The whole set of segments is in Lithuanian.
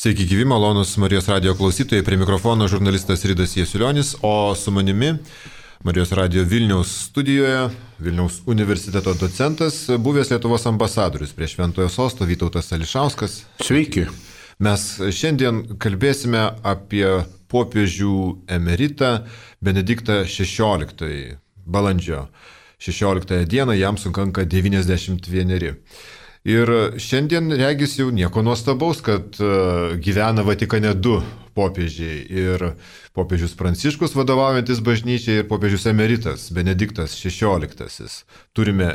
Sveiki, gyvi, malonus Marijos radio klausytojai, prie mikrofono žurnalistas Ridas Jasiulionis, o su manimi Marijos radio Vilniaus studijoje, Vilniaus universiteto docentas, buvęs Lietuvos ambasadorius prie Šventojo sosto Vytautas Ališauskas. Sveiki. Mes šiandien kalbėsime apie popiežių emeritą Benediktą XVI. Balandžio 16 dieną jam sukanka 91. Ir šiandien regis jau nieko nuostabaus, kad gyvena Vatikane du popiežiai. Ir popiežius Pranciškus vadovaujantis bažnyčiai ir popiežius emeritas Benediktas XVI. Turime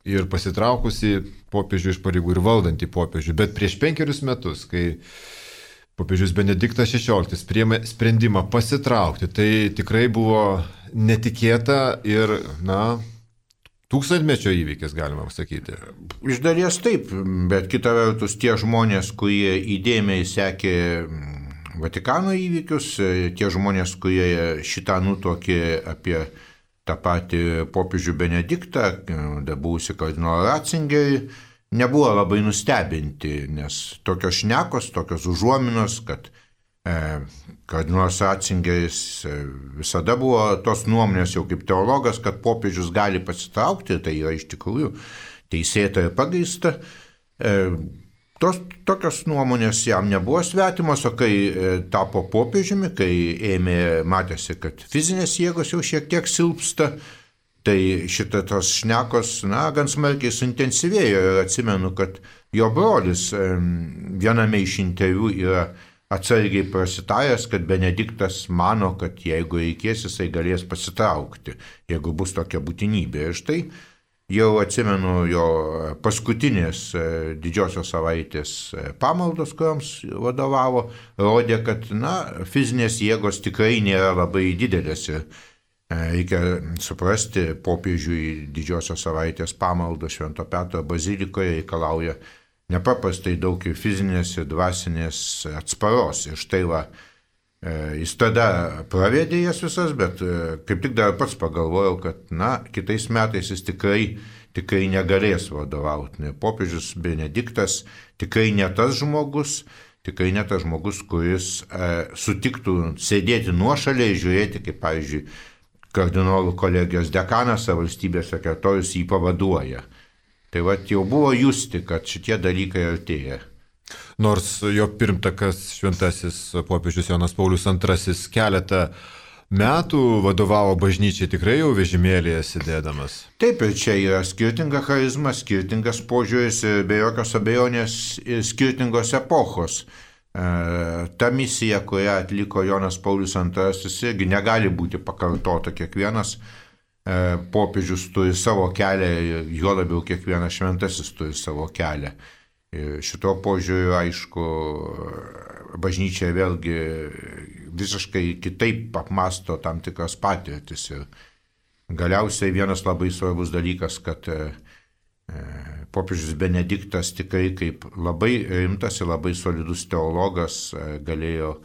ir pasitraukusi popiežių iš pareigų ir valdantį popiežių. Bet prieš 5 metus, kai popiežius Benediktas XVI priėmė sprendimą pasitraukti, tai tikrai buvo netikėta ir, tūkstantmečio įvykis, galima sakyti. Iš dalies taip, bet kita vertus tie žmonės, kurie įdėmiai sekė Vatikano įvykius, tie žmonės, kurie šitą nutuokė apie tą patį popiežių Benediktą, buvusi kardinolą Ratzingerį, nebuvo labai nustebinti, nes tokios šnekos, tokios užuominos, kad kardinolas Ratzingeris visada buvo tos nuomonės jau kaip teologas, kad popiežius gali pasitraukti, tai yra iš tikrųjų teisėta ir pagrįsta. Tokios nuomonės jam nebuvo svetimos, o kai tapo popiežiumi, kai matėsi, kad fizinės jėgos jau šiek tiek silpsta, tai tos šnekos, gan smarkiai suintensyvėjo ir atsimenu, kad jo brolis viename iš interviu yra atsargiai prasitaręs, kad Benediktas mano, kad jeigu reikės, jisai galės pasitraukti, jeigu bus tokia būtinybė. Ir štai jau atsimenu jo paskutinės didžiosios savaitės pamaldos, kuriams vadovavo, rodė, kad fizinės jėgos tikrai nėra labai didelės. Ir reikia suprasti, popiežiui didžiosios savaitės pamaldos Švento Petro bazilikoje reikalauja nepaprastai daug ir fizinės, ir dvasinės atsparos. Ir štai jis tada pravedė jas visas, bet kaip tik dar pats pagalvojau, kad kitais metais jis tikrai negalės vadovauti. Popiežius Benediktas tikrai ne tas žmogus, kuris sutiktų sėdėti nuošaliai ir žiūrėti, kaip pavyzdžiui, kardinolų kolegijos dekanas ar valstybės sekretorius jį pavaduoja. Tai jau buvo justi, kad šitie dalykai artėja. Nors jo pirmtakas šventasis popiežius Jonas Paulius II keletą metų vadovavo bažnyčiai tikrai jau vežimėlėje sėdėdamas. Taip, ir čia yra skirtinga charizma, skirtingas požiūris ir be jokios abejonės skirtingos epochos. Ta misija, kurią atliko Jonas Paulius II, irgi negali būti pakartota. Kiekvienas popiežius turi savo kelią, juo labiau kiekvienas šventasis turi savo kelią. Ir šito požiūriu, aišku, bažnyčia vėlgi visiškai kitaip apmąsto tam tikras patirtis. Ir galiausiai vienas labai svarbus dalykas, kad popiežius Benediktas tikrai kaip labai rimtas ir labai solidus teologas galėjo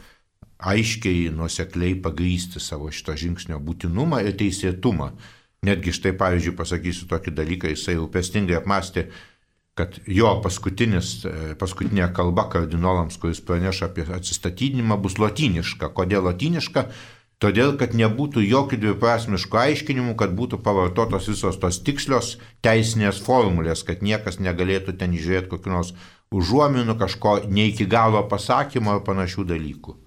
aiškiai, nuosekliai pagrįsti savo šito žingsnio būtinumą ir teisėtumą. Netgi štai, pavyzdžiui, pasakysiu tokį dalyką, jisai rūpestingai apmąstė, kad jo paskutinė kalba kardinolams, kuris praneša apie atsistatydinimą, bus lotyniška. Kodėl lotyniška? Todėl, kad nebūtų jokių dviprasmiškų aiškinimų, kad būtų pavartotos visos tos tikslios teisinės formulės, kad niekas negalėtų ten žiūrėti kokių nors užuominų, kažko ne iki galo pasakymo ar panašių dalykų.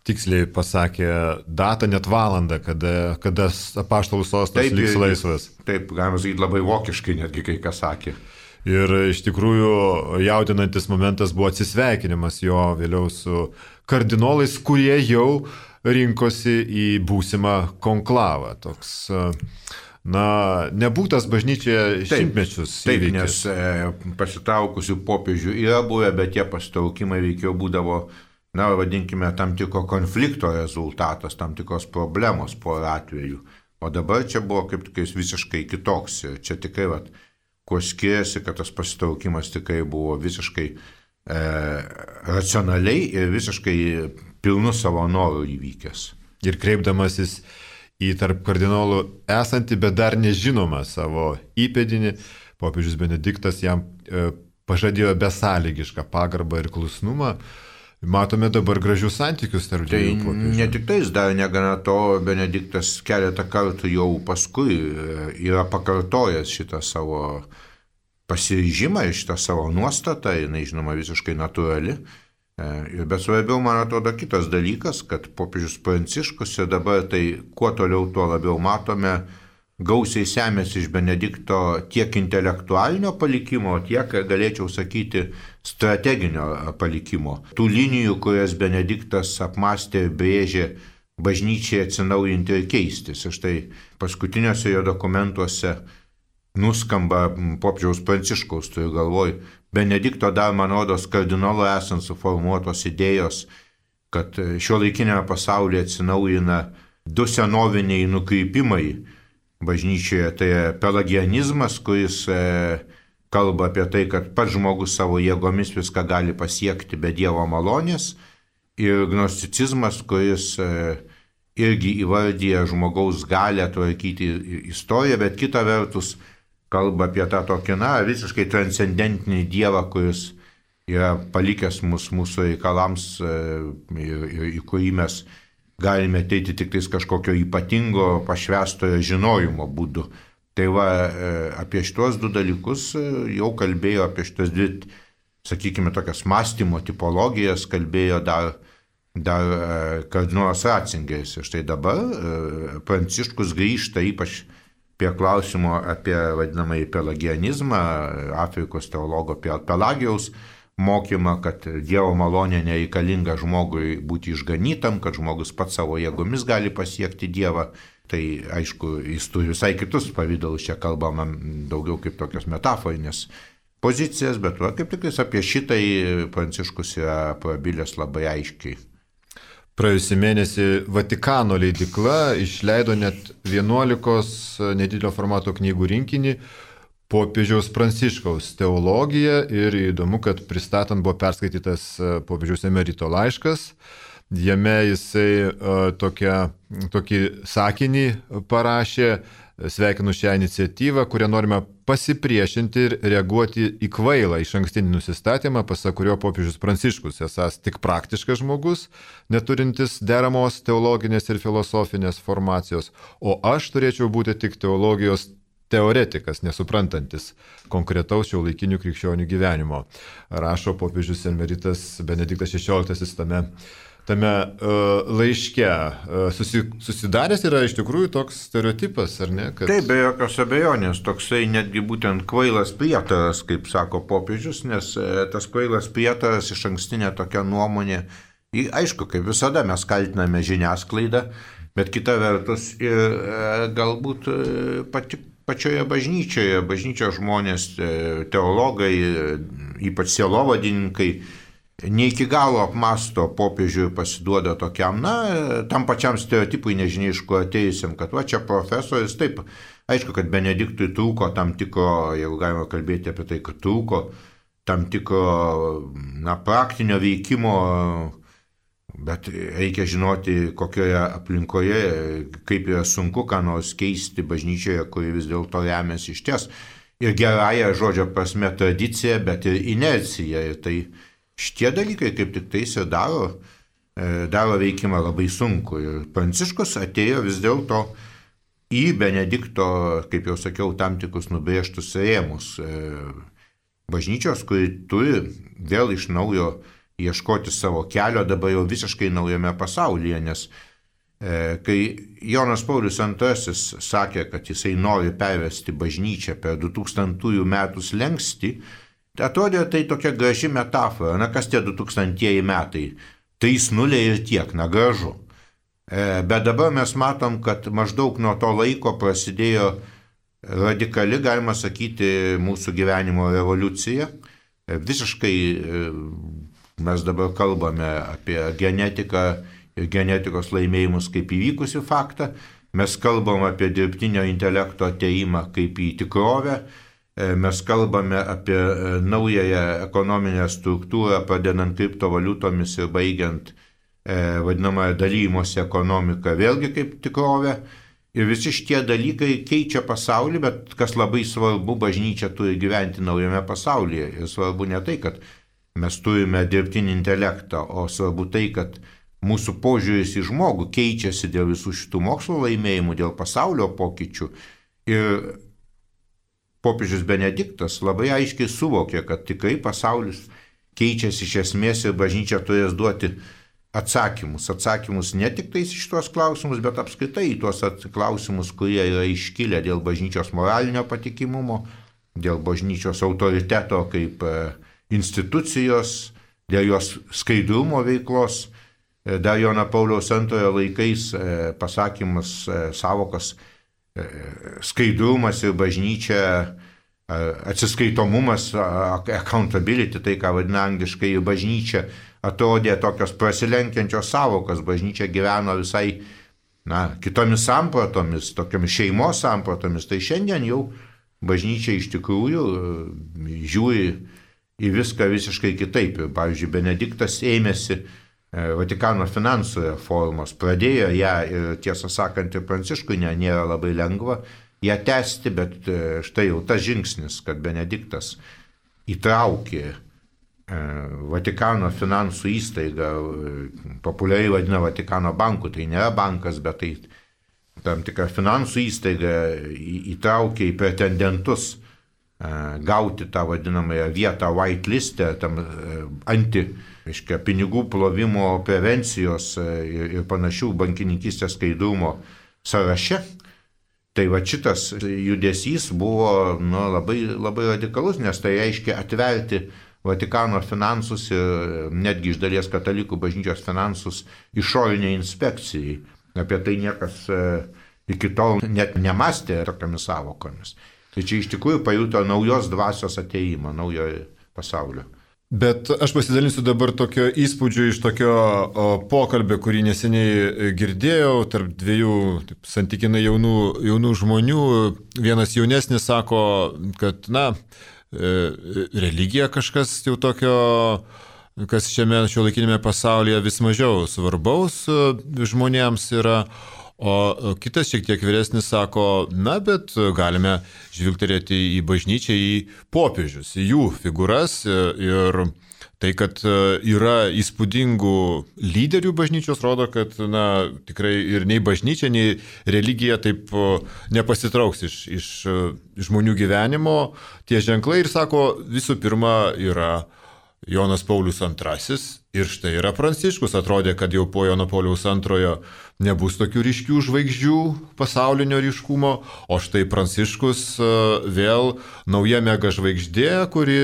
Tiksliai pasakė datą, net valandą, kada apaštalų sostas liks laisvas. Taip, galima sakyti, labai vokiškai netgi kai kas sakė. Ir iš tikrųjų jaudinantis momentas buvo atsisveikinimas jo vėliau su kardinolais, kurie jau rinkosi į būsimą konklavą. Toks, nebūtas bažnyčioje šimtmečius įvykis. Taip, nes pasitraukusių popiežių yra buvę, bet tie pasitraukimai veikiau būdavo, vadinkime, tam tikro konflikto rezultatas, tam tikros problemos po atveju. O dabar čia buvo kaip tikrai visiškai kitoks. Ir čia tikrai, kuo skiriasi, kad tas pasitraukimas tikrai buvo visiškai racionaliai ir visiškai pilnu savo norų įvykęs. Ir kreipdamasis į tarp kardinolų esantį, bet dar nežinomą savo įpėdinį, popiežius Benediktas jam pažadėjo besąlygišką pagarbą ir klusnumą. matome dabar gražius santykius tarp dviejų popiežių. Ne tik tais, dar negana to, Benediktas keletą kartų jau paskui yra pakartojęs šitą savo pasiryžimą, šitą savo nuostatą, jinai žinoma visiškai natūrali. Bet svarbiau, man atrodo, kitas dalykas, kad popiežius Pranciškus ir dabar tai kuo toliau, tuo labiau matome, gausiai semėsi iš Benedikto tiek intelektualinio palikimo, tiek, galėčiau sakyti, strateginio palikimo. Tų linijų, kurias Benediktas apmastė ir brėžė bažnyčiai atsinaujinti ir keistis. Ir štai paskutiniuose jo dokumentuose nuskamba popiežiaus Pranciškaus, turiu galvoj, Benedikto dar, man rodos, kardinolo esant suformuotos idėjos, kad šiuolaikinėme pasaulyje atsinaujina du senoviniai nukrypimai bažnyčioje. Tai pelagianizmas, kuris kalba apie tai, kad pats žmogus savo jėgomis viską gali pasiekti be Dievo malonės, ir gnosticizmas, kuris irgi įvardyja žmogaus galę tvarkyti istoriją, bet kita vertus kalba apie tą tokį, visiškai transcendentinį Dievą, kuris yra palikęs mūsų reikalams ir į kurį mes galime ateiti tik tais kažkokio ypatingo pašvęstojo žinojimo būdu. Tai va, apie šitos du dalykus jau kalbėjo, apie šitas dvi, sakykime, tokias mąstymo tipologijas kalbėjo dar kardinolas Ratzingeris. Ir štai dabar Pranciškus grįžta ypač prie klausimo apie vadinamąjį pelagianizmą, Afrikos teologo Pelagijaus mokymą, kad Dievo malonė nereikalinga žmogui būti išganytam, kad žmogus pats savo jėgomis gali pasiekti Dievą. Tai aišku, jis turi visai kitus pavydalus, čia kalbama daugiau kaip tokios metaforinės pozicijas, bet kaip tik apie šitai Pranciškus yra prabilęs labai aiškiai. Praėjusį mėnesį Vatikano leidykla išleido net 11 nedidelio formato knygų rinkinį popiežiaus Pranciškaus teologija ir įdomu, kad pristatant buvo perskaitytas popiežiaus emerito laiškas. Jame jisai tokį sakinį parašė: sveikinu šią iniciatyvą, kurią norime pasipriešinti ir reaguoti į kvailą išankstinį nusistatymą, pasak kurio popiežius Pranciškus esąs tik praktiškas žmogus, neturintis deramos teologinės ir filosofinės formacijos, o aš turėčiau būti tik teologijos teoretikas, nesuprantantis konkretaus šiuolaikinių krikščionių gyvenimo. Rašo popiežius emeritas Benediktas XVI tame laiške. Susidaręs yra iš tikrųjų toks stereotipas, ar ne? Kad... Taip, be jokios abejonės, toksai netgi būtent kvailas prietaras, kaip sako popiežius, nes tas kvailas prietaras išankstinė tokia nuomonė. Aišku, kaip visada mes kaltiname žiniasklaidą, bet kita vertus ir galbūt pačioje bažnyčios žmonės, teologai, ypač sielovadininkai, ne iki galo apmasto popiežių ir pasiduoda tokiam, tam pačiam stereotipui nežinia iš ko atėjusiam, kad va čia profesorius, taip, aišku, kad Benediktui trūko tam tikro, jeigu galima kalbėti apie tai, kad trūko tam tikro, praktinio veikimo, bet reikia žinoti, kokioje aplinkoje, kaip yra sunku ką nors keisti bažnyčioje, kuri vis dėlto remiasi išties ir gerąją žodžio prasme tradicija, bet ir inercija. Ir tai šitie dalykai kaip tik tais ir daro veikimą labai sunku. Ir Pranciškus atėjo vis dėlto į Benedikto, kaip jau sakiau, tam tikrus nubrėžtus rėmus bažnyčios, kuri turi vėl iš naujo ieškoti savo kelio dabar jau visiškai naujame pasaulyje, nes kai Jonas Paulius II sakė, kad jisai nori pervesti bažnyčią per 2000 metų slenkstį, atrodė tai tokia graži metafora, kas tie 2000 metai, 3-0 ir tiek, gražu. Bet dabar mes matom, kad maždaug nuo to laiko prasidėjo radikali, galima sakyti, mūsų gyvenimo revoliucija. Visiškai mes dabar kalbame apie genetiką ir genetikos laimėjimus kaip įvykusi faktą. Mes kalbam apie dirbtinio intelekto atėjimą kaip į tikrovę. Mes kalbame apie naująją ekonominę struktūrą, pradedant kriptovaliutomis ir baigiant vadinamąją dalymosi ekonomiką, vėlgi kaip tikrovę. Ir visi šitie dalykai keičia pasaulį, bet kas labai svarbu, bažnyčia turi gyventi naujame pasaulyje. Ir svarbu ne tai, kad mes turime dirbtinį intelektą, o svarbu tai, kad mūsų požiūris į žmogų keičiasi dėl visų šitų mokslo laimėjimų, dėl pasaulio pokyčių. Ir popiežius Benediktas labai aiškiai suvokė, kad tikrai pasaulis keičiasi iš esmės ir bažnyčia turės duoti atsakymus ne tik tais iš tuos klausimus, bet apskritai į tuos klausimus, kurie yra iškilę dėl bažnyčios moralinio patikimumo, dėl bažnyčios autoriteto kaip institucijos, dėl jos skaidrumo veiklos. Dar Jono Pauliaus II laikais pasakymas, savokas skaidrumas ir bažnyčia, atsiskaitomumas, accountability, tai ką vadina angliškai bažnyčia, atrodė tokios prasilenkiančios savokas. Bažnyčia gyveno visai kitomis sampratomis, tokiamis šeimos sampratomis. Tai šiandien jau bažnyčia iš tikrųjų žiūri į viską visiškai kitaip. Ir, pavyzdžiui, Benediktas ėmėsi Vatikano finansų reformos, pradėjo ją ir tiesą sakant ir Pranciškui nėra labai lengva ją tęsti, bet štai jau tas žingsnis, kad Benediktas įtraukė Vatikano finansų įstaigą, populiariai vadina Vatikano banku, tai nėra bankas, bet tai tam tikra finansų įstaiga, įtraukė į pretendentus gauti tą vadinamąją vietą white listę, tam pinigų plovimo prevencijos ir panašių bankininkystės skaidrumo sąraše. Tai va šitas judesys buvo labai, labai radikalus, nes tai reiškia atverti Vatikano finansus ir netgi iš dalies katalikų bažnyčios finansus išoriniai inspekcijai. Apie tai niekas iki tol net nemastė tokiamis savokomis. Tai čia iš tikrųjų pajuto naujos dvasios ateimą, naujo pasaulio. Bet aš pasidalinsiu dabar tokio įspūdžio iš tokio pokalbio, kurį neseniai girdėjau tarp dviejų santykinai jaunų žmonių. Vienas jaunesnis sako, kad religija kažkas jau tokio, kas šiuolaikinėme pasaulyje vis mažiau svarbaus žmonėms yra. O kitas šiek tiek vyresnis sako, bet galime žvilgterėti į bažnyčią, į popiežius, į jų figūras ir tai, kad yra įspūdingų lyderių bažnyčios, rodo, kad tikrai ir nei bažnyčia, nei religija taip nepasitrauks iš žmonių gyvenimo. Tie ženklai ir sako, visų pirma yra Jonas Paulius II ir štai yra Pranciškus. Atrodė, kad jau po Jono Pauliaus II nebus tokių ryškių žvaigždžių pasaulinio ryškumo, o štai Pranciškus vėl nauja mega žvaigždė, kuri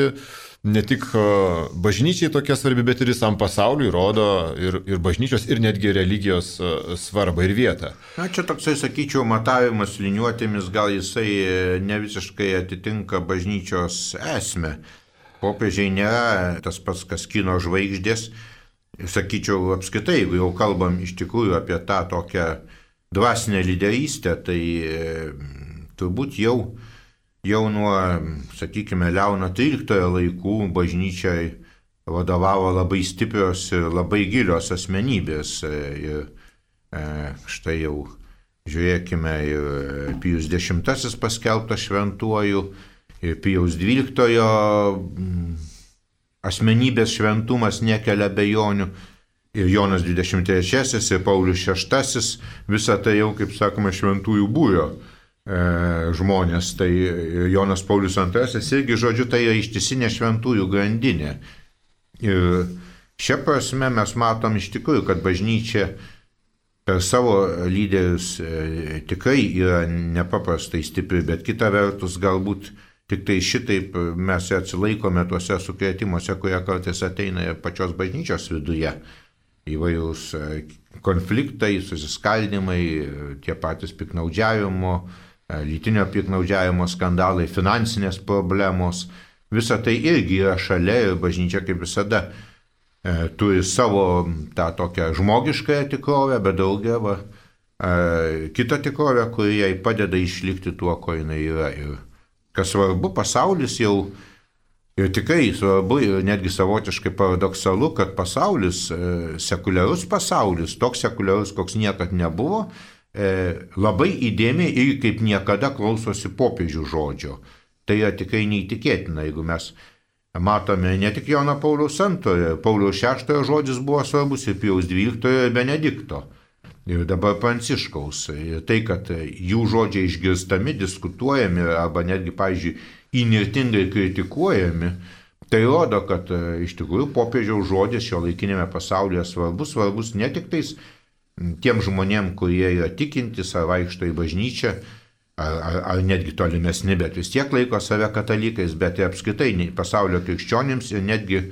ne tik bažnyčiai tokia svarbi, bet ir visam pasauliui rodo ir bažnyčios, ir netgi religijos svarbą ir vietą. Čia toksai, sakyčiau, matavimas liniuotėmis, gal jisai ne visiškai atitinka bažnyčios esmę. Popiežiai nėra tas pats, kas kino žvaigždės. Sakyčiau, apskritai, jeigu jau kalbam iš tikrųjų apie tą tokią dvasinę lyderystę, tai turbūt jau nuo, sakykime, Leono XIII laikų bažnyčiai vadovavo labai stiprios ir labai gilios asmenybės. Ir štai jau žiūrėkime ir Pijus X paskelbtas šventuoju, ir Pijaus XII asmenybės šventumas nekelia abejonių, ir Jonas XXIII, ir Paulius VI, visą tai jau, kaip sakoma, šventųjų būrio žmonės. Tai Jonas Paulius II irgi, žodžiu, tai yra ištisinė šventųjų grandinė. Ir šia prasme mes matom iš tikrųjų, kad bažnyčia per savo lyderius tikrai yra nepaprastai stipri, bet kita vertus galbūt tik tai šitaip mes atsilaikome tuose sukrėtimuose, kurie kartais ateina ir pačios bažnyčios viduje. Įvairūs konfliktai, susiskaldimai, tie patys piknaudžiavimo, lytinio piknaudžiavimo skandalai, finansinės problemos. Visa tai irgi yra šalia ir bažnyčia kaip visada turi savo tą tokią žmogiškąją tikrovę, bet daugiau kitą tikrovę, kuri jai padeda išlikti tuo, ko jinai yra. Ir kas svarbu, pasaulis jau, ir tikrai svarbu, ir netgi savotiškai paradoksalu, kad pasaulis, sekuliarus pasaulis, toks sekuliarus, koks niekad nebuvo, labai įdėmiai ir kaip niekada klausosi popiežių žodžio. Tai yra tikrai neįtikėtina, jeigu mes matome ne tik Jono Pauliaus II, Pauliaus VI žodis buvo svarbus ir Pijaus XII ir Benedikto. Ir dabar Pranciškaus. Ir tai, kad jų žodžiai išgirstami, diskutuojami arba netgi, pavyzdžiui, įnirtingai kritikuojami, tai rodo, kad iš tikrųjų popiežiaus žodis šio laikinėme pasaulyje svarbus ne tik tais tiem žmonėm, kurie yra tikintys ar vaikšto į bažnyčią, ar netgi tolimesni, bet vis tiek laiko save katalikais, bet ir apskritai pasaulio krikščionims ir netgi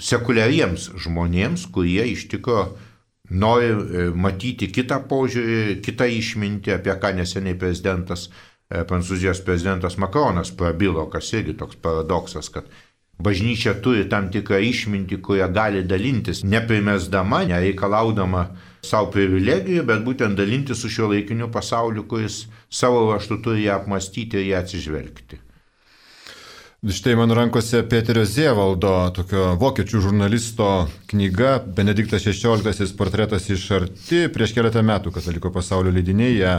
sekuliariems žmonėms, kurie iš tikrųjų nori matyti kitą požiūrį, kitą išmintį, apie ką neseniai Prancūzijos prezidentas Macronas prabilo, kas irgi toks paradoksas, kad bažnyčia turi tam tikrą išmintį, kurią gali dalintis, neprimesdama, nereikalaudama savo privilegijų, bet būtent dalintis su šiuo laikiniu pasauliu, kuris savo raštu turi ją apmastyti ir ją atsižvelgti. Štai mano rankose Peterio Zievaldo, tokio vokiečių žurnalisto knyga Benediktas XVI portretas iš arti. Prieš keletą metų Kataliko pasaulio leidiniai ją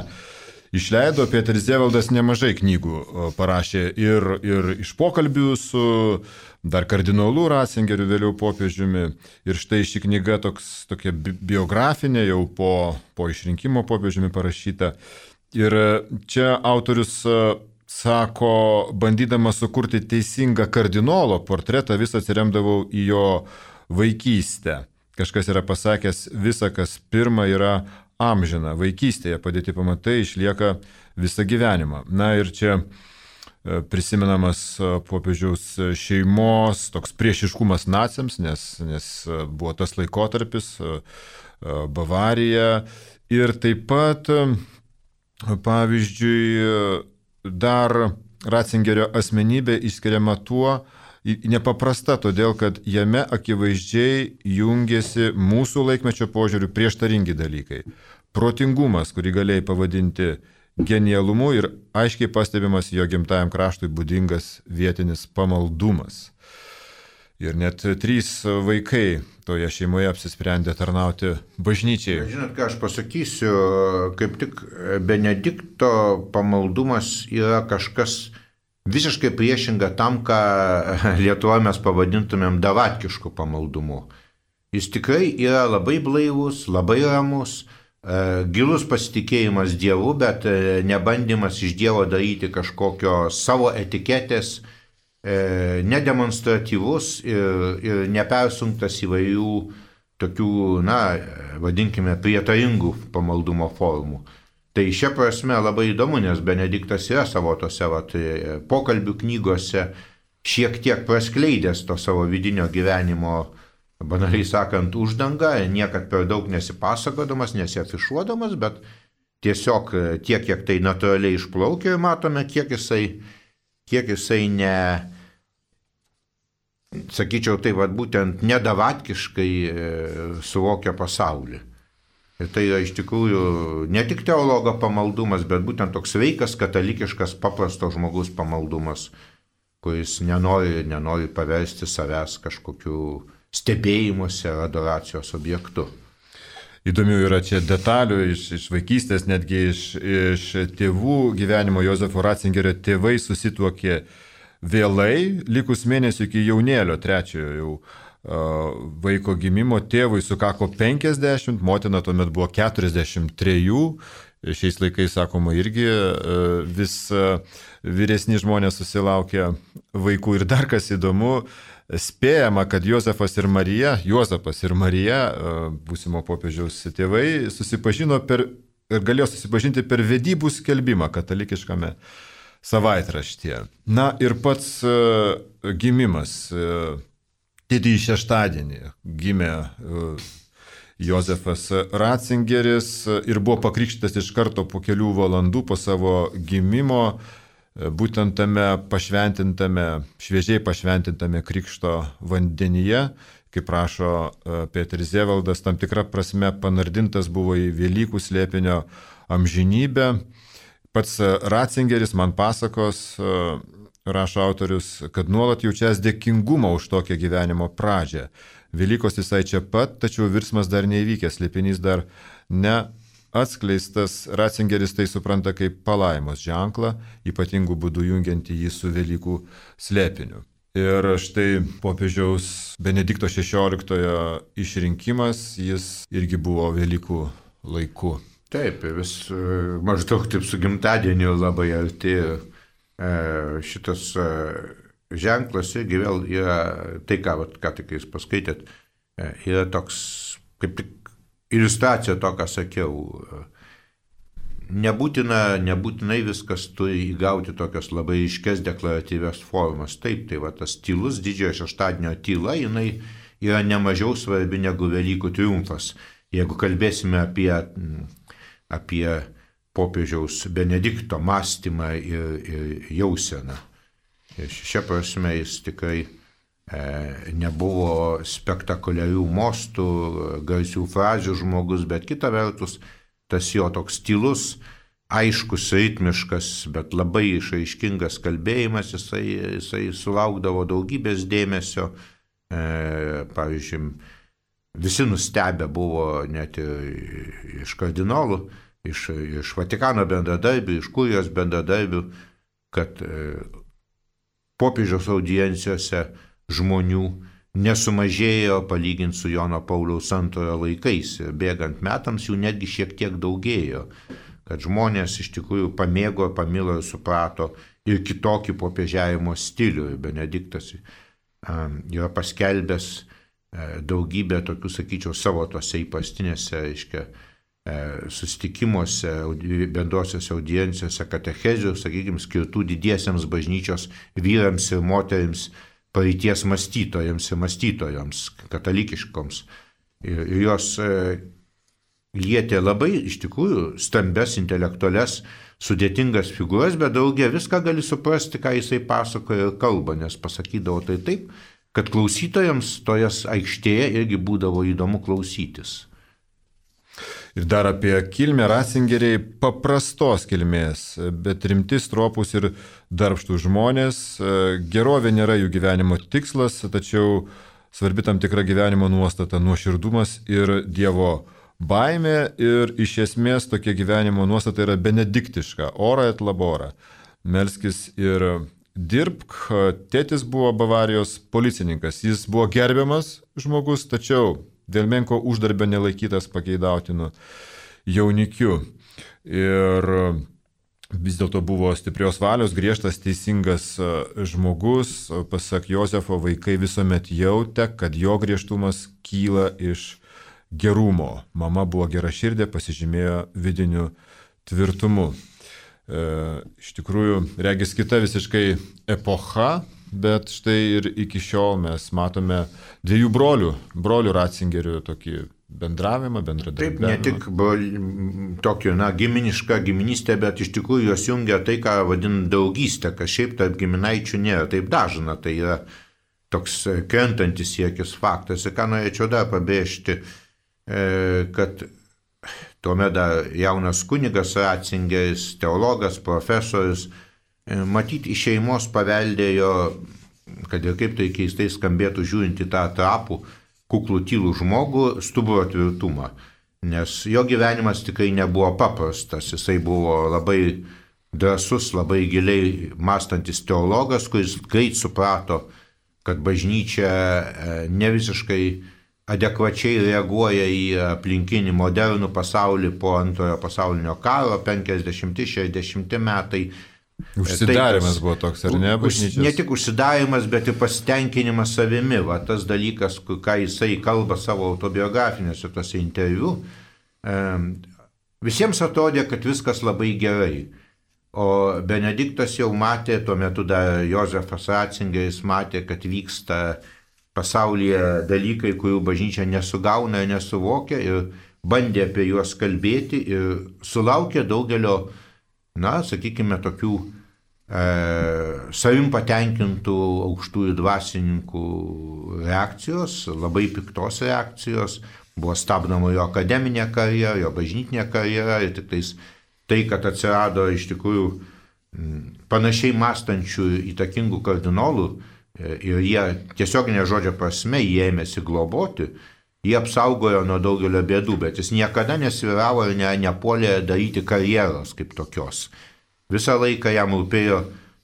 išleido. Peteris Zievaldas nemažai knygų parašė ir iš pokalbių su dar kardinolu Ratzingeriu, vėliau popiežiumi. Ir štai ši knyga tokia biografinė, jau po išrinkimo popiežiumi parašyta. Ir čia autorius sako, bandydamas sukurti teisingą kardinolo portretą, vis atsiremdavau į jo vaikystę. Kažkas yra pasakęs, visa, kas pirma, yra amžina. Vaikystėje padėti pamatai išlieka visą gyvenimą. Na ir čia prisimenamas popiežiaus šeimos toks priešiškumas naciams, nes buvo tas laikotarpis, Bavarija. Ir taip pat, pavyzdžiui, dar Ratzingerio asmenybė išskiriama tuo nepaprasta, todėl kad jame akivaizdžiai jungiasi mūsų laikmečio požiūrių prieštaringi dalykai. Protingumas, kurį galėjai pavadinti genialumu, ir aiškiai pastebimas jo gimtajam kraštui būdingas vietinis pamaldumas. Ir net 3 vaikai toje šeimoje apsisprendė tarnauti bažnyčiai. Žinot, ką aš pasakysiu, kaip tik Benedikto pamaldumas yra kažkas visiškai priešinga tam, ką Lietuvoje mes pavadintumėm davatkišku pamaldumu. Jis tikrai yra labai blaivus, labai ramus, gilus pasitikėjimas Dievu, bet nebandymas iš Dievo daryti kažkokio savo etiketės, nedemonstratyvus ir nepersunktas įvairių tokių, vadinkime, prietaringų pamaldumo formų. Tai šia prasme labai įdomu, nes Benediktas yra savo tose pokalbių knygose šiek tiek praskleidęs to savo vidinio gyvenimo, banaliai sakant, uždangą, niekad per daug nesipasakodamas, nesiafišuodamas, bet tiesiog tiek, kiek tai natūraliai išplaukia ir matome, kiek jisai sakyčiau, tai būtent nedavatkiškai suvokia pasaulį. Ir tai yra iš tikrųjų ne tik teologo pamaldumas, bet būtent toks sveikas, katalikiškas, paprasto žmogus pamaldumas, kuris nenori paversti savęs kažkokiu stebėjimuose ar adoracijos objektu. Įdomių yra čia detalių iš vaikystės, netgi iš tėvų gyvenimo. Jozefo Ratzingerio tėvai susituokė vėlai, likus mėnesių iki jaunėlio, 3 jau vaiko gimimo. Tėvui sukako 50, motina tuomet buvo 43. Šiais laikais, sakoma, irgi vis vyresni žmonės susilaukia vaikų. Ir dar kas įdomu, spėjama, kad Juozapas ir Marija, būsimo popiežiaus tėvai, susipažino ir galėjo susipažinti per vedybų skelbimą katalikiškame savaitraštyje. Na ir pats gimimas. Didįjį šeštadienį gimė Jozefas Ratzingeris ir buvo pakrikštytas iš karto po kelių valandų po savo gimimo, būtent tame šviežiai pašventintame krikšto vandenyje, kaip rašo Peteris Zievaldas, tam tikra prasme panardintas buvo į Velykų slėpinio amžinybę. Pats Ratzingeris man pasakos, rašo autorius, kad nuolat jaučias dėkingumą už tokią gyvenimo pradžią. Velykos visai čia pat, tačiau virsmas dar neįvykęs, slėpinys dar neatskleistas. Ratzingeris tai supranta kaip palaimos ženklą, ypatingų būdų jungiantį jį su Velykų slėpiniu. Ir štai popiežiaus Benedikto XVI išrinkimas, jis irgi buvo Velykų laiku. Taip, vis maždaug taip su gimtadieniu labai arti šitas ženklas irgi vėl yra, tai ką tik jūs paskaitėt, yra toks kaip tik iliustracija to, ką sakiau. Nebūtinai viskas turi įgauti tokias labai iškes deklaratyvias formas. Taip, tai va tas tylus didžiojo šeštadienio tyla, jinai yra nemažiau svarbi negu Velykų triumfas. Jeigu kalbėsime apie popiežiaus Benedikto mąstymą ir jauseną. Ir šia prasme jis tikrai nebuvo spektakuliarių mostų, garsių frazių žmogus, bet kita vertus, tas jo toks tylus, aiškus, ritmiškas, bet labai išraiškingas kalbėjimas, jisai sulaukdavo daugybės dėmesio. Pavyzdžiui, visi nustebę buvo net ir iš kardinolų, iš Vatikano bendradarbių, iš kurijos bendradarbių, kad popiežiaus audiencijose žmonių nesumažėjo palyginti su Jono Pauliaus II laikais. Bėgant metams jų netgi šiek tiek daugėjo, kad žmonės iš tikrųjų pamėgo, pamilo ir suprato ir kitokį popiežiavimo stilių. Ir Benediktas yra paskelbęs daugybę tokių, sakyčiau, savo tose įprastinėse, susitikimuose, bendrosiose audiencijose, katechezių, sakykime, skirtų didiesiems bažnyčios vyrams ir moterims, praeities mąstytojams ir mąstytojoms, katalikiškoms. Ir jos lietė labai, iš tikrųjų, stambes, intelektualias, sudėtingas figūras, bet daugia viską gali suprasti, ką jisai pasakoja ir kalba, nes pasakydavo tai taip, kad klausytojams tojas aikštėje irgi būdavo įdomu klausytis. Ir dar apie kilmę Ratzingeriai paprastos kilmės, bet rimti, stropūs ir darbštų žmonės. Gerovė nėra jų gyvenimo tikslas, tačiau svarbi tam tikra gyvenimo nuostata, nuoširdumas ir Dievo baimė. Ir iš esmės tokia gyvenimo nuostata yra benediktiška, ora et labora. Melskis ir dirbk. Tėtis buvo Bavarijos policininkas, jis buvo gerbiamas žmogus, tačiau dėl menko uždarbio nelaikytas pageidautinu jaunikiu. Ir vis dėlto buvo stiprios valios, griežtas, teisingas žmogus. Pasak Jozefo, vaikai visuomet jautė, kad jo griežtumas kyla iš gerumo. Mama buvo geraširdė, pasižymėjo vidiniu tvirtumu. Iš tikrųjų, regis kita visiškai epocha, bet štai ir iki šiol mes matome dviejų brolių Ratzingerių tokį bendravimą, bendradarbiavimą. Taip, ne tik tokį, giminišką giminystę, bet iš tikrųjų jos jungia tai, ką vadin draugystę, kas šiaip tarp giminaičių nėra taip dažna, tai yra toks krentantis siekis faktas. Ir ką norėčiau dar pabrėžti, kad tuomet dar jaunas kunigas Ratzingeris, teologas, profesorius, matyti iš šeimos paveldėjo, kad ir kaip tai keistai skambėtų žiūrint į tą trapų, kuklų tylų žmogų, stuburo tvirtumą. Nes jo gyvenimas tikrai nebuvo paprastas, jisai buvo labai drąsus, labai giliai mąstantis teologas, kuris greit suprato, kad bažnyčia ne visiškai adekvačiai reaguoja į aplinkinį modernų pasaulį po antrojo pasaulinio karo, 50-60 metai. Užsidarimas buvo toks, ar ne, bažnyčios? Ne tik užsidarimas, bet ir pasitenkinimas savimi. Va, tas dalykas, ką jisai kalba savo autobiografinėse tose interviu, visiems atrodė, kad viskas labai gerai. O Benediktas jau matė, tuo metu dar Jozefas Ratzingeris matė, kad vyksta pasaulyje dalykai, kurių bažnyčia nesugauna ir nesuvokia, ir bandė apie juos kalbėti ir sulaukė daugelio, sakykime, tokių savim patenkintų aukštųjų dvasininkų reakcijos, labai piktos reakcijos, buvo stabdoma jo akademinė karjera, jo bažnytinė karjera ir tik tai, kad atsirado iš tikrųjų panašiai mąstančių įtakingų kardinolų ir jie tiesioginė žodžio prasme jie ėmėsi globoti, jie apsaugojo nuo daugelio bėdų, bet jis niekada nesviravo ir nepuolė daryti karjeros kaip tokios. Visą laiką jam rūpėjo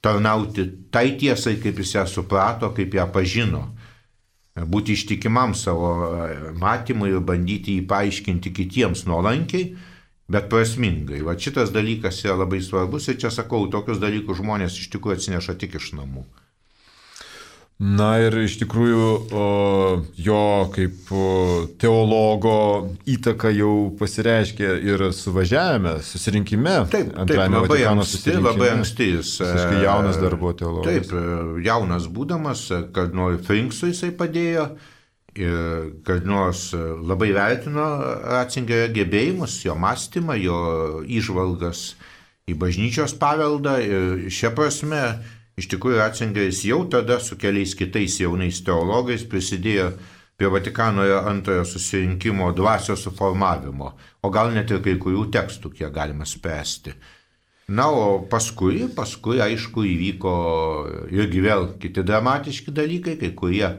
tarnauti tai tiesai, kaip jis ją suprato, kaip ją pažino. Būti ištikimam savo matymui ir bandyti jį paaiškinti kitiems nuolankiai, bet prasmingai. Va šitas dalykas yra labai svarbus ir čia sakau, tokius dalykus žmonės iš tikrųjų atsineša tik iš namų. Na ir iš tikrųjų jo kaip teologo įtaka jau pasireiškė ir suvažiavime, susirinkime. Taip, labai anksti jis. Visiškai jaunas dar buvo teologas. Taip, jaunas būdamas, kardinolui Frinksui jisai padėjo ir kardinolas labai vertino Ratzingerio gebėjimus, jo mąstymą, jo įžvalgas į bažnyčios paveldą ir šia prasme iš tikrųjų Ratzingeris jau tada su keliais kitais jaunais teologais prisidėjo prie Vatikano antrojo susirinkimo dvasios suformavimo, o gal net ir kai kurių tekstų, kiek galima spręsti. Na, o paskui aišku, įvyko irgi vėl kiti dramatiški dalykai, kai kurie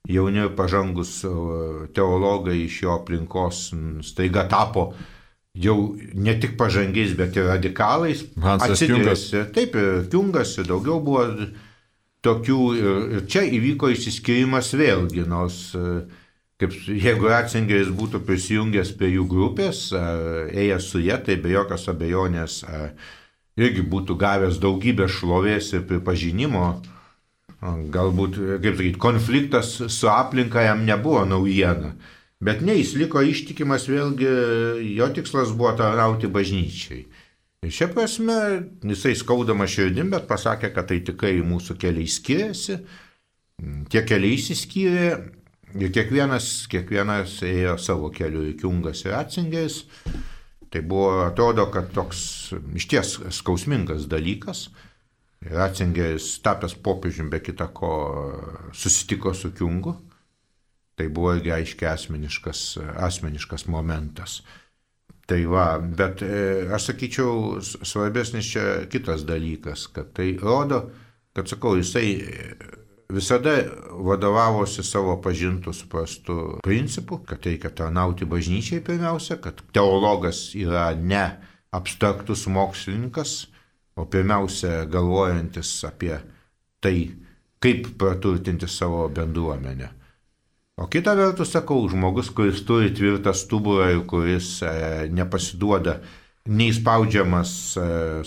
jauni ir pažangus teologai iš jo aplinkos staiga tapo jau ne tik pažangiais, bet ir radikalais. Hansas Kiungas. Taip, ir Kiungas, ir daugiau buvo tokių. Ir čia įvyko išsiskyrimas vėlgi, nors jeigu Ratzingeris būtų prisijungęs prie jų grupės, ėjęs su jie, tai be jokios abejonės irgi būtų gavęs daugybę šlovės ir pripažinimo. Galbūt, kaip sakyti, konfliktas su aplinka jam nebuvo naujiena. Bet ne, jis liko ištikimas vėlgi, jo tikslas buvo tarnauti bažnyčiai. Ir šia prasme, jisai skaudama širdim, bet pasakė, kad tai tikrai mūsų keliai skiriasi, tie keliai išsiskyrė ir kiekvienas ėjo savo keliu, ir Kiungas ir Ratzingeris. Tai buvo, atrodo, kad toks išties skausmingas dalykas. Ratzingeris, tapęs popiežiumi be kita ko, susitiko su Kiungu. Tai buvo irgi aiškiai asmeniškas momentas. Tai va, bet aš sakyčiau, svarbesnis čia kitas dalykas, kad tai rodo, kad sakau, jisai visada vadovavosi savo pažintų suprastų principų, kad reikia tarnauti bažnyčiai pirmiausia, kad teologas yra ne abstraktus mokslininkas, o pirmiausia galvojantis apie tai, kaip praturtinti savo bendruomenę. O kita vertus, sakau, žmogus, kuris turi tvirtą stuburą ir kuris nepasiduoda neįspaudžiamas,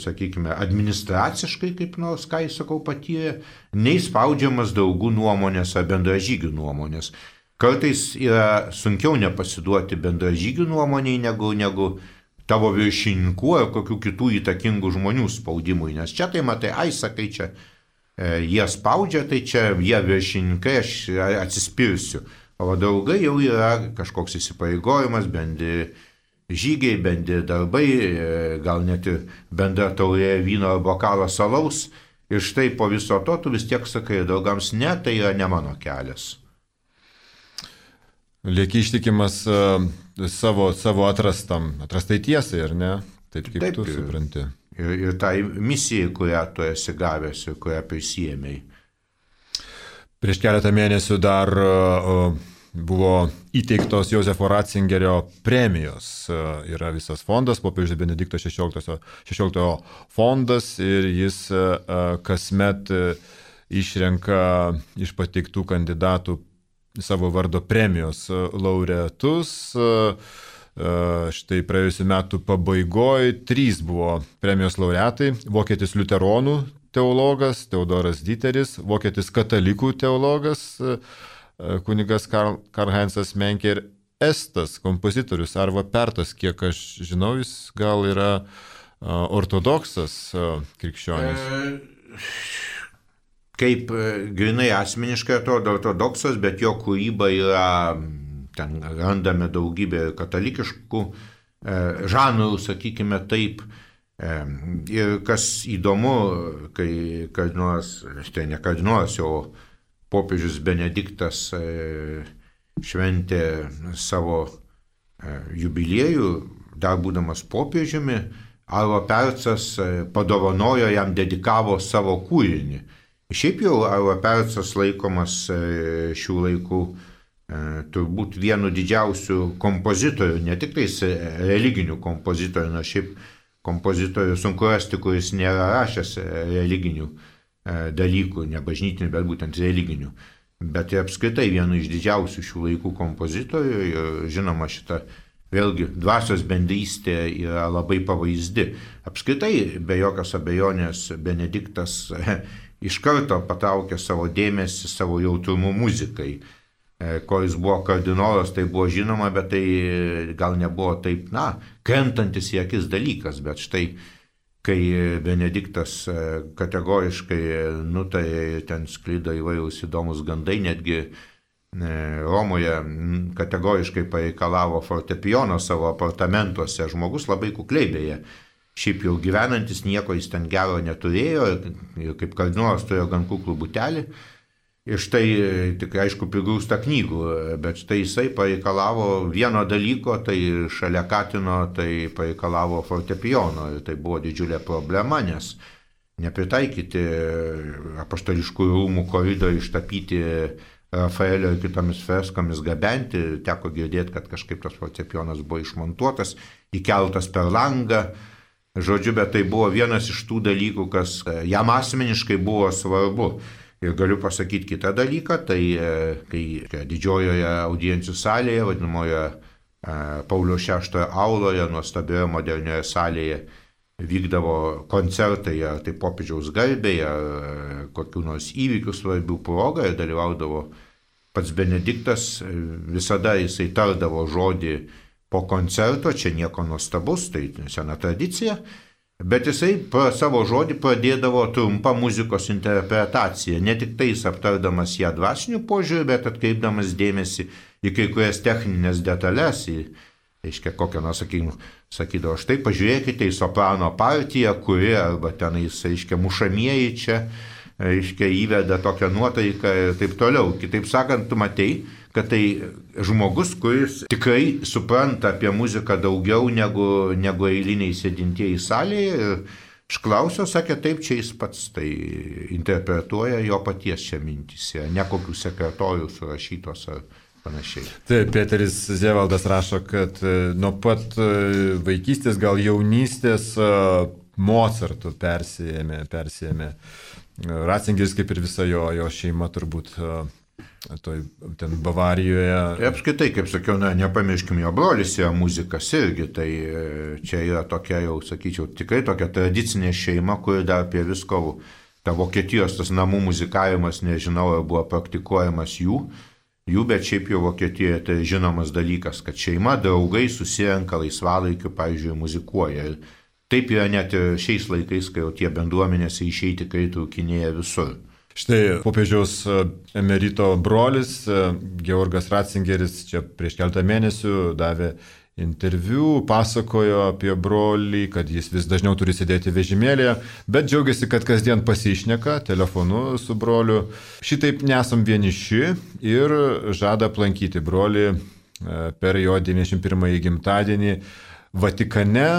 sakykime, administraciškai, kaip nors, ką jis, sakau, patyrė, neįspaudžiamas draugų nuomonės ar bendražygių nuomonės. Kartais yra sunkiau nepasiduoti bendražygių nuomoniai negu tavo viršininkų ar kokių kitų įtakingų žmonių spaudimui, nes čia tai matai, sakai, čia jie spaudžia, tai čia jie viršininkai, aš atsispirsiu. O draugai jau yra kažkoks įsipareigojimas, bendri žygiai, bendri darbai, gal net ir bendra taurė vyno ar bokalas alaus. Ir štai po viso to tu vis tiek sakai draugams, ne, tai yra ne mano kelias. Lieki ištikimas savo atrastai tiesai, ar ne? Taip kaip tu supranti. Ir tai misijai, kurią tu esi gavęs ir kurią prisijėmei. Prieš keletą mėnesių dar buvo įteiktos Josefo Ratzingerio premijos. Yra visas fondas, popiežiaus Benedikto XVI fondas ir jis kasmet išrenka iš pateiktų kandidatų savo vardo premijos laureatus. Štai praėjusiu metu pabaigoje 3 buvo premijos laureatai. Vokietis liuteronų teologas Teodoras Diteris, vokietis katalikų teologas kunigas Karl-Heinzas Menkė ir estas kompozitorius Arvo Pertas, kiek aš žinau, jis gal yra ortodoksas krikščionis. Kaip grinai asmeniškai atrodo ortodoksas, bet jo kūryba yra, ten randame daugybę katalikiškų žanrų, sakykime taip. Ir kas įdomu, kai kardinolas, štai ne kardinolas, jau popiežius Benediktas šventė savo jubiliejų, dar būdamas popiežiumi, Arvo Pertas padovanojo, jam dedikavo savo kūrinį. Šiaip jau Arvo Pertas laikomas šių laikų turbūt vienu didžiausių kompozitorių, ne tik tais religinių kompozitorių, nors šiaip kompozitorių sunku rasti, kuris nėra rašęs religinių dalykų, ne bažnytinių, bet būtent religinių. Bet ir apskritai vienu iš didžiausių šių laikų kompozitorių ir žinoma šita vėlgi dvasios bendrystė yra labai pavaizdi. Apskritai, be jokios abejonės, Benediktas iš karto patraukė savo dėmesį, savo jautrumu muzikai. Ko jis buvo kardinolas, tai buvo žinoma, bet tai gal nebuvo taip, krentantis į akis dalykas, bet štai kai Benediktas kategoriškai nutarė, ten sklido įvairūs įdomus gandai, netgi Romoje kategoriškai pareikalavo fortepijono savo apartamentuose, žmogus labai kukliai beje, šiaip jau gyvenantis nieko jis ten gero neturėjo ir kaip kardinolas turėjo gan kuklų butelį. Ir štai tikrai aišku prigrūsta knygų, bet štai jisai pareikalavo vieno dalyko, tai šalia Katino, tai pareikalavo fortepijono. Ir tai buvo didžiulė problema, nes nepritaikyti apaštališkųjų rūmų koridorių ištapyti Rafaelio ir kitomis freskomis gabenti. Teko girdėti, kad kažkaip tas fortepijonas buvo išmontuotas, įkeltas per langą. Žodžiu, bet tai buvo vienas iš tų dalykų, kas jam asmeniškai buvo svarbu. Ir galiu pasakyti kitą dalyką, tai kai didžiojoje audiencijų salėje, vadinamoje Pauliaus VI auloje, nuostabioje modernioje salėje vykdavo koncertai, ar tai popiežiaus garbėje, ar kokių nors įvykių svarbių progą, ir dalyvaudavo pats Benediktas, visada jisai tardavo žodį po koncerto, čia nieko nuostabus, tai sena tradicija. Bet jisai savo žodį pradėdavo trumpą muzikos interpretaciją, ne tik tais aptardamas ją dvasiniu požiūriu, bet atkreipdamas dėmesį į kai kurias techninės detalės, reiškia, kokią nors, sakydavo, štai pažiūrėkite į soprano partiją, kuri, arba tenais, reiškia, mušamieji čia, reiškia, įveda tokią nuotaiką ir taip toliau. Kitaip sakant, tu matei, kad tai žmogus, kuris tikrai supranta apie muziką daugiau negu eiliniai sėdintieji salėje. Ir išklausiau, sakė, taip, čia jis pats tai interpretuoja jo paties čia mintys, ne kokių sekretorių surašytos ar panašiai. Taip, Peteris Zevaldas rašo, kad nuo pat vaikystės, gal jaunystės Mozartu persijėmė. Ratzingeris, kaip ir visa jo šeima, turbūt ten Bavarijoje. Apskritai, kaip sakiau, nepamirškim, jo brolis yra muzikas irgi, tai čia yra tokia jau, sakyčiau, tikrai tokia tradicinė šeima, kuri dar apie visko, ta Vokietijos tas namų muzikavimas, nežinau, ar buvo praktikuojamas jų, bet šiaip jau Vokietijoje tai žinomas dalykas, kad šeima, draugai susirenka laisvalaikiu, pavyzdžiui, muzikuoja. Ir taip yra net ir šiais laikais, kai jau tie bendruomenės išeiti tikrai trūkinėja visur. Štai popiežiaus emerito brolis, Georgas Ratzingeris, čia prieš keletą mėnesių davė interviu, pasakojo apie brolį, kad jis vis dažniau turi sėdėti vežimėlėje, bet džiaugiasi, kad kasdien pasišneka telefonu su broliu. Šitaip nesam vieniši ir žada aplankyti brolį per jo 91-ąjį gimtadienį Vatikane.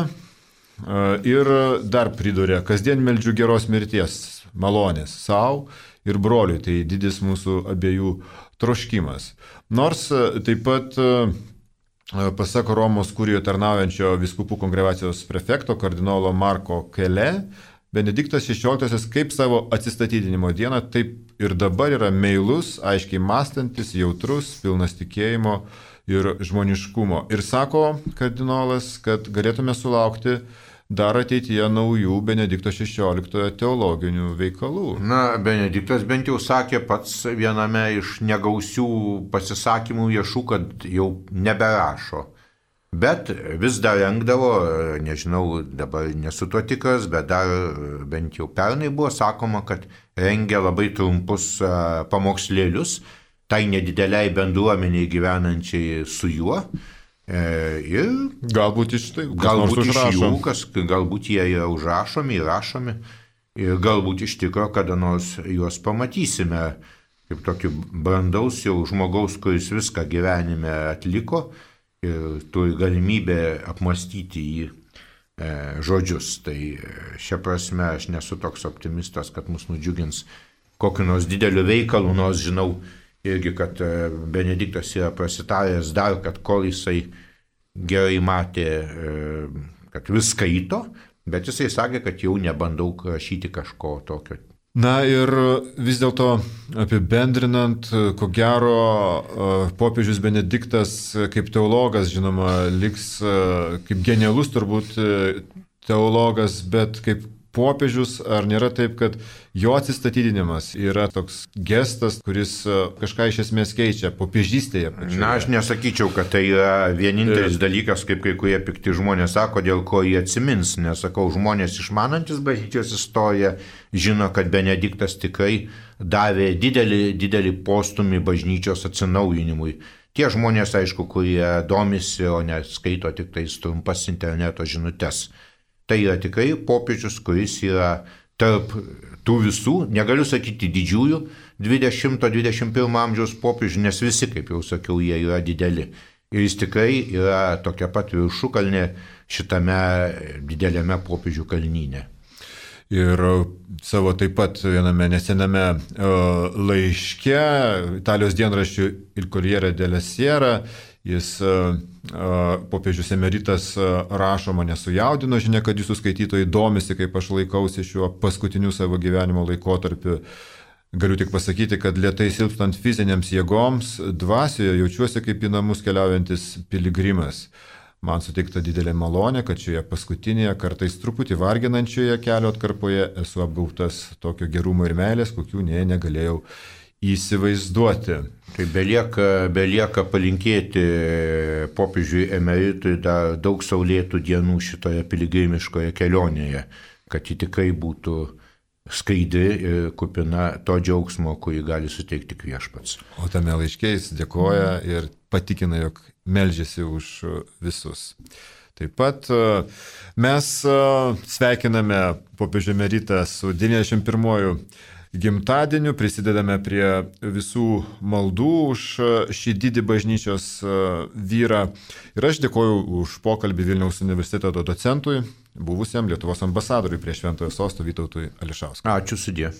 Ir dar pridūrė, kasdien meldžiu geros mirties, malonės savo ir broliui, tai didis mūsų abiejų troškimas. Nors taip pat, pasak Romos kurijoje tarnaujančio vyskupų kongregacijos prefekto kardinolo Marko Kele, Benediktas XVI kaip savo atsistatydinimo dieną, taip ir dabar yra meilus, aiškiai mąstantis, jautrus, pilnas tikėjimo ir žmoniškumo. Ir sako kardinolas, kad galėtume sulaukti dar ateityje naujų Benedikto XVI teologinių veikalų. Benediktas bent jau sakė pats viename iš negausių pasisakymų viešų, kad jau neberašo. Bet vis dar rengdavo, nežinau, dabar nesu tuo tikras, bet dar bent jau pernai buvo sakoma, kad rengia labai trumpus pamokslėlius tai nedideliai bendruomeniai gyvenančiai su juo. Ir galbūt iš tai, galbūt iš jų, galbūt jie yra užrašomi, įrašomi ir galbūt iš tikro kada nors juos pamatysime kaip tokį brandaus jau žmogaus, kuris viską gyvenime atliko ir turi galimybę apmastyti jį žodžius. Tai šia prasme aš nesu toks optimistas, kad mus nudžiugins kokiu nors dideliu veikalu, nors žinau irgi, kad Benediktas yra prasitaręs dar, kad kol jisai gerai matė, kad vis skaito, bet jisai sakė, kad jau nebandau rašyti kažko tokio Na ir vis dėlto apibendrinant, ko gero, popiežius Benediktas kaip teologas, žinoma, liks kaip genialus turbūt teologas, bet kaip popiežius, ar nėra taip, kad jo atsistatydinimas yra toks gestas, kuris kažką iš esmės keičia popiežystėje pačioje? Na, aš nesakyčiau, kad tai yra vienintelis dalykas, kaip kai kurie pikti žmonės sako, dėl ko jie atsimins. Nesakau, žmonės išmanantis bažnyčios istoriją žino, kad Benediktas tikrai davė didelį postumį bažnyčios atsinaujinimui. Tie žmonės, aišku, kurie domisi, o neskaito tik tais trumpas interneto žinutes. Tai yra tikrai popiežius, kuris yra tarp tų visų, negaliu sakyti didžiųjų, 20-21 amžiaus popiežių, nes visi, kaip jau sakiau, jie yra dideli. Ir jis tikrai yra tokia pat viršukalnė šitame dideliame popiežių kalnyne. Ir savo taip pat viename nesename laiške Italijos dienraščių Il Corriere della Sera jis popiežius emeritas rašo, mane sujaudino žinia, kad jūsų skaitytojai domisi, kaip aš laikausi šiuo paskutiniu savo gyvenimo laikotarpiu. Galiu tik pasakyti, kad lėtai silpstant fizinėms jėgoms, dvasioje jaučiuosi kaip į namus keliaujantis piligrimas. Man suteikta didelė malonė, kad šioje paskutinėje, kartais truputį varginančioje kelio atkarpoje esu apgautas tokio gerumo ir meilės, kokių negalėjau įsivaizduoti. Tai belieka palinkėti popiežiui emeritui dar daug saulėtų dienų šitoje piligrimiškoje kelionėje, kad ji tikrai būtų skaidri ir kupina to džiaugsmo, kurį gali suteikti viešpats. O tame laiške jis dėkoja ir patikina, jog meldžiasi už visus. Taip pat mes sveikiname popiežių emeritą su 91 gimtadieniu, prisidedame prie visų maldų už šį didį bažnyčios vyrą. Ir aš dėkoju už pokalbį Vilniaus universiteto docentui, buvusiam Lietuvos ambasadoriui prie Šventojo Sosto Vytautui Ališauskui. Ačiū sudie.